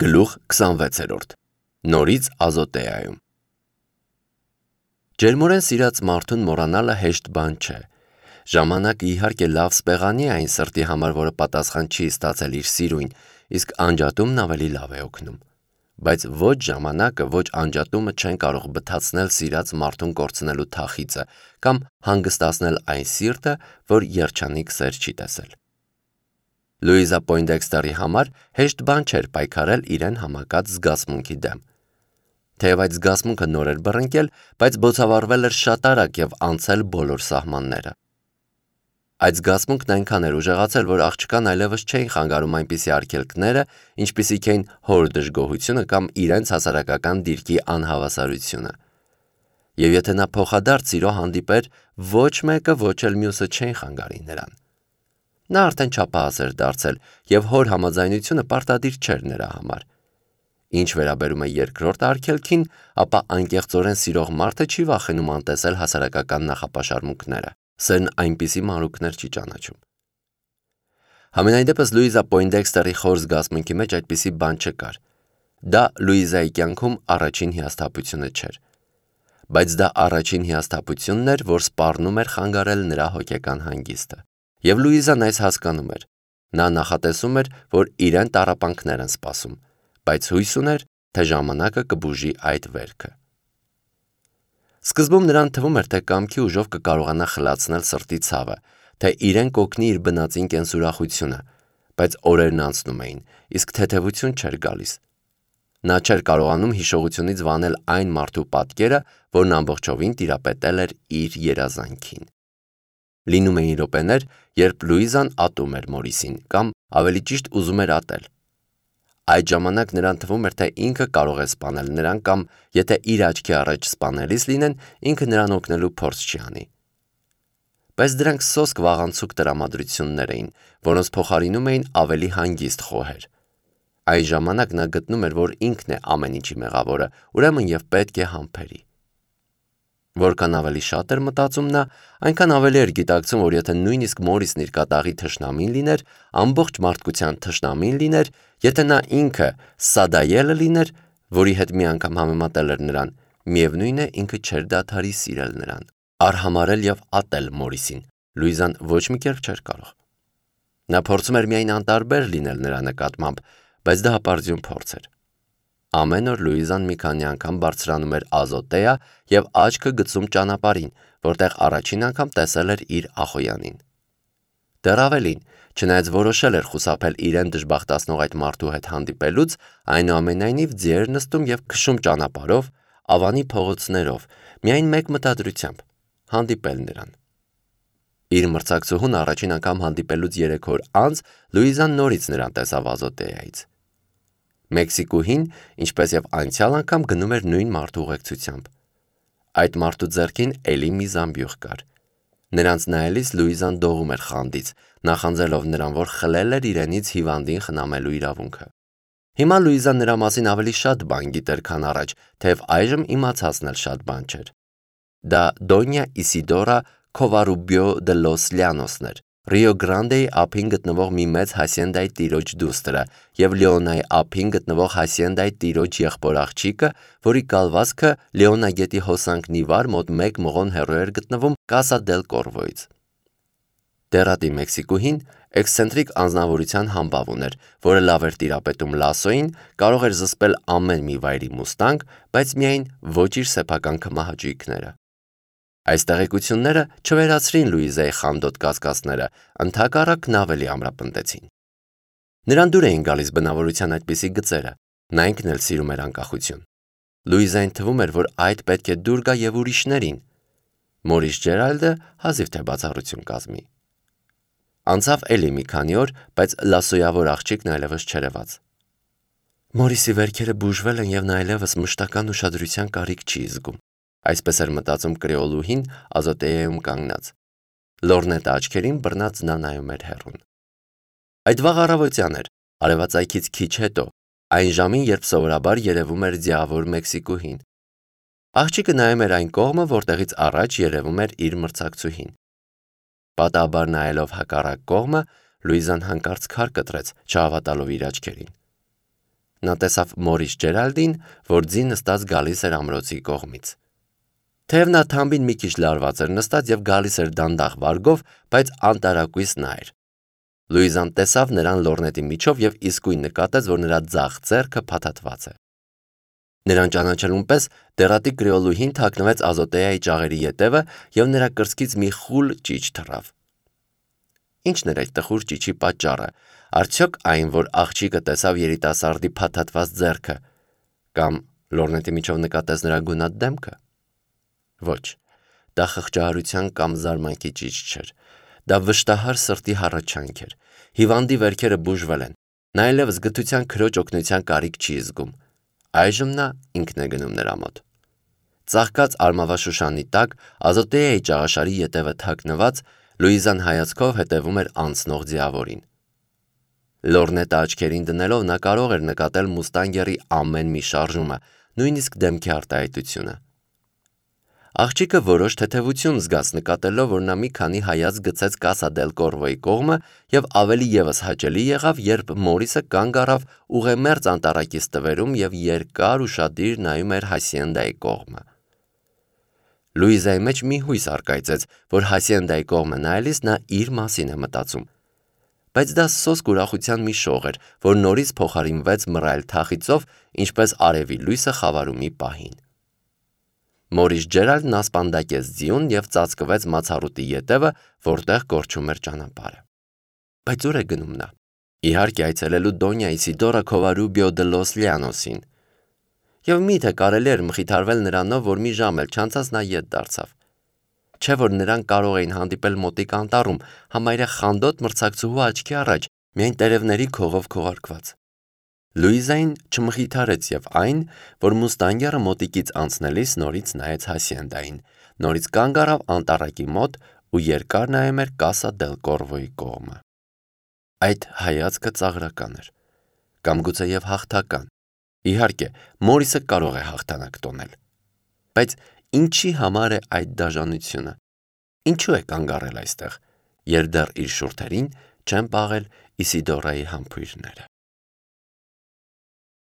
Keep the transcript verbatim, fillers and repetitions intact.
Գլուխ քսանվեցերորդ Նորից Ազոտեայում Ջերմորեն սիրած մարդուն մոռանալը հեշտ բան չէ։ Ժամանակը իհարկե լավ սպեղանի է այն սրտի համար, որը պատասխան չի ստացել իր սիրույն, իսկ անջատումն ավելի լավ է օգնում։ Բայց ոչ ժամանակը, ոչ անջատումը չեն կարող բթացնել սիրած մարդուն կորցնելու թախիծը կամ հանգստացնել այն սիրտը, որ երջանիկ սեր չի տեսել։ Լուիզա Պոյնդեքստերի համար հեշտ բան չէր պայքարել իրեն համակած զգացմունքի դեմ։ Թեև այդ զգացմունքը նոր էր բռնկել, բայց բոցավառվել էր շատ արագ և անցել բոլոր սահմանները։ Այդ զգացմունքն այնքան էր ուժեղացել, որ աղջկան այլևս չէին խանգարում այնպիսի արգելքները, ինչպիսիք էին հոր դժգոհությունը կամ իրենց հասարակական դիրքի անհավասարությունը։ Եվ եթե նա փոխադարձ սիրո հանդիպեր, ոչ մեկը, ոչ էլ մյուսը չէին խանգարի նրան։ Նա արդեն չափահաս էր դարձել, և հոր համաձայնությունը պարտադիր չէր նրա համար։ Ինչ վերաբերում է երկրորդ արգելքին, ապա անկեղծորեն սիրող մարդը չի վախենում անտեսել հասարակական նախապաշարմունքները։ Սերն այնպիսի մանրուքներ չի ճանաչում։ Համենայն դեպս Լուիզա Պոյնդեքստերի խոր զգացմունքի մեջ այդպիսի բան չկար։ Դա Լուիզայի կյանքում առաջին հիասթափությունը չէր։ Բայց դա առաջին հիասթափությունն էր, որ սպառնում էր խանգարել նրա հոգեկան հանգիստը։ Եվ Լուիզան այս հասկանում էր։ Նա նախատեսում էր, որ իրեն տառապանքներ են սպասում, բայց հույս ուներ, թե ժամանակը կբուժի այդ վերքը։ Սկզբում նրան թվում էր, թե կամքի ուժով կկարողանա խլացնել սրտի ցավը, թե իրեն կօգնի իր բնածին կենսուրախությունը, բայց օրերն անցնում էին, իսկ թեթևություն չէր գալիս։ Նա չէր կարողանում հիշողությունից վանել այն մարդու պատկերը, որն ամբողջովին տիրապետել էր իր երազանքին։ Լինում էին րոպեներ, երբ Լուիզան ատում էր Մորիսին, կամ ավելի ճիշտ ուզում էր ատել։ Այդ ժամանակ նրան թվում էր, թե ինքը կարող է սպանել նրան կամ եթե իր աչքի առաջ սպանելիս լինեն, ինքը նրան օգնելու փորձ չի անի։ Բայց դրանք սոսկ վաղանցուկ տրամադրություններ էին, որոնց փոխարինում էին ավելի հանգիստ խոհեր։ Այն ժամանակ նա գտնում էր, որ ինքն է ամեն ինչի մեղավորը, ուրեմն և պետք է համբերի։ Որքան ավելի շատ էր մտածում նա, այնքան ավելի էր գիտակցում, որ եթե նույնիսկ Մորիսն իր կատաղի թշնամին լիներ, ամբողջ մարդկության թշնամին լիներ, եթե նա ինքը Սադայելը լիներ, որի հետ մի անգամ համեմատել էր նրան, միևնույն է ինքը չէր դադարի սիրել նրան, արհամարհել և ատել Մորիսին, Լուիզան ոչ մի կերպ չէր կարող։ Նա փորձում էր միայն անտարբեր լինել նրա նկատմամբ, բայց դա հպարտություն փորձ էր։ Ամեն օր Լուիզան մի քանի անգամ բարձրանում էր Ազոտեա և աչքը գցում ճանապարհին, որտեղ առաջին անգամ տեսել էր իր Ախոյանին։ Դեռ ավելին, չնայած որոշել էր խուսափել իրեն դժբախտացնող այդ մարդու հետ հանդիպելուց, այնուամենայնիվ ձիեր նստում և քշում ճանապարհով, Ավանի փողոցներով, միայն մեկ մտադրությամբ՝ հանդիպել նրան։ Իր մրցակցուհուն առաջին անգամ հանդիպելուց երեք օր անց Լուիզան նորից նրան տեսավ Ազոտեայից։ Մեքսիկուհին, ինչպես և անցյալ անգամ, գնում էր նույն մարդու ուղեկցությամբ։ Այդ մարդու ձեռքին էլի մի զամբյուղ կար։ Նրանց նայելիս Լուիզան դողում էր խանդից, նախանձելով նրան, որ խլել էր իրենից հիվանդին խնամելու իրավունքը։ Հիմա Լուիզան նրա մասին ավելի շատ բան գիտեր, քան առաջ, թեև այժմ իմացածն էլ շատ բան չէր։ Դա Դոնյա Իսիդորա Քովարուբիո դե լոս Լյանոսն էր, Ռիո Գրանդեի ափին գտնվող մի մեծ հասիենդայի տիրոջ դուստրը և Լեոնայի ափին գտնվող հասիենդայի տիրոջ եղբոր աղջիկը, որի կալվածքը Լեոնա գետի հոսանքն ի վար մոտ մեկ մղոն հեռու էր գտնվում Կասա դել Կորվոյից։ Դեռատի Մեքսիկուհին էքսցենտրիկ անձնավորության համբավ ուներ, որը լավ էր տիրապետում լասոին, կարող էր զսպել ամեն մի վայրի մուստանգ, բայց միայն ոչ իր սեփական քմահաճույքները։ Այս տեղեկությունները չվերացրին Լուիզայի խանդոտ կասկածները, ընդհակառակն ավելի ամրապնդեցին։ Նրան դուր էին գալիս բնավորության այդպիսի գծերը, նա ինքն էլ սիրում էր անկախություն։ Լուիզային թվում էր, որ այդ պետք է դուր գա և ուրիշներին։ Մորիս Ջերալդը հազիվ թե բացառություն կազմի։ Անցավ էլի մի քանի օր, բայց լասոյավոր աղջիկն այլևս չերևաց։ Մորիսի վերքերը բուժվել են և նա այլևս մշտական ուշադրության կարիք չի զգում, այսպես էր մտածում կրեոլուհին Ազոտեայում կանգնած։ Լորնետը աչքերին բռնած նա նայում էր հեռուն։ Այդ վաղ առավոտյան էր, արևածագից քիչ հետո, այն ժամին, երբ սովորաբար երևում էր ձիավոր Մեքսիկուհին։ Աղջիկը նայում էր այն կողմը, որտեղից առաջ երևում էր իր մրցակցուհին։ Պատահաբար նայելով հակառակ կողմը, Լուիզան հանկարծ քար կտրեց, չհավատալով իր աչքերին։ Նա տեսավ Մորիս Ջերալդին, որ ձի նստած գալիս էր ամրոցի կողմից։ Թեև նա թամբին մի քիչ լարված էր նստած եւ գալիս էր դանդաղ վարգով, բայց անտարակույս նա էր։ Լուիզան տեսավ նրան լորնետի միջով եւ իսկույն նկատեց, որ նրա ձախ ձեռքը փաթաթված է։ Նրան ճանաչելուն պես դերատի կրեոլուհին թաքնվեց Ազոտեայի ճաղերի ետևը եւ նրա կրծքից մի խուլ ճիչ թռավ։ Ինչն էր այդ տխուր ճիչի պատճառը։ Արդյոք այն, որ աղջիկը տեսավ երիտասարդի փաթաթված ձեռքը, կամ լորնետի միջով նկատեց նրա գունատ դեմքը։ Ոչ, դա խղճահարության կամ զարմանքի ճիչ չէր։ Դա վշտահար սրտի հառաչանք էր։ Հիվանդի վերքերը բուժվել են։ Նա այլևս գթության քրոջ օգնության կարիք չի զգում։ Այժմ նա ինքն է գնում նրա մոտ։ Ծաղկած արմավաշուշանի տակ, Ազոտեայի ճաղաշարի ետևը թաքնված, Լուիզան հայացքով հետևում էր անցնող ձիավորին։ Լորնետը աչքերին դնելով նա կարող էր նկատել մուստանգերի ամեն մի շարժումը, նույնիսկ դեմքի արտահայտությունը։ Աղջիկը որոշ թեթևություն զգաց նկատելով, որ նա մի քանի հայացք գցեց Կասա դել Կորվոյի կողմը եւ ավելի եւս հաճելի եղավ, երբ Մորիսը կանգ առավ ուղեմերձ անտարակի ստվերում եւ երկար ուշադիր նայում էր Հասիենդայի կողմը։ Լուիզայի մեջ մի հույս առկայծեց, որ Հասիենդայի կողմը նայելիս նա իր մասին է մտածում։ Բայց դա սոսկ ուրախության մի շող էր, որ նորից փոխարինվեց մռայլ թախիծով, ինչպես արևի լույսը խավարումի պահին։ Մորիս Ջերալդն ասպանդակեց ձիուն եւ ծածկվեց մացառուտի ետևը, որտեղ կորչում էր ճանապարհը։ Բայց ուր է գնում նա։ Իհարկե այցելելու Դոնյա Իսիդորա Քովարուբիո դե լոս Լիանոսին։ Եվ միթե կարելի էր մխիթարվել նրանով, որ մի ժամ էլ չանցած նա ետ դարձավ։ Չէ որ նրանք կարող էին հանդիպել մոտիկ անտառում, համարյա խանդոտ մրցակցուհու աչքի առաջ, միայն տերևների քողով քողարկված։ Լուիզային չմխիթարեց եւ այն, որ մուստանգերը մոտիկից անցնելիս նորից նայեց Հասիենդային, նորից կանգ առավ անտառակի մոտ ու երկար նայում էր Կասա դել Կորվոյի կողմը։ Այդ հայացքը ծաղրական էր, կամ գուցեև հաղթական։ Իհարկե, Մորիսը կարող է հաղթանակ տոնել։ Բայց ինչի համար է այդ դաժանությունը։ Ինչու է կանգ առել այստեղ, երբ դեռ իր շուրթերին չեն պաղել Իսիդորայի համբույրները։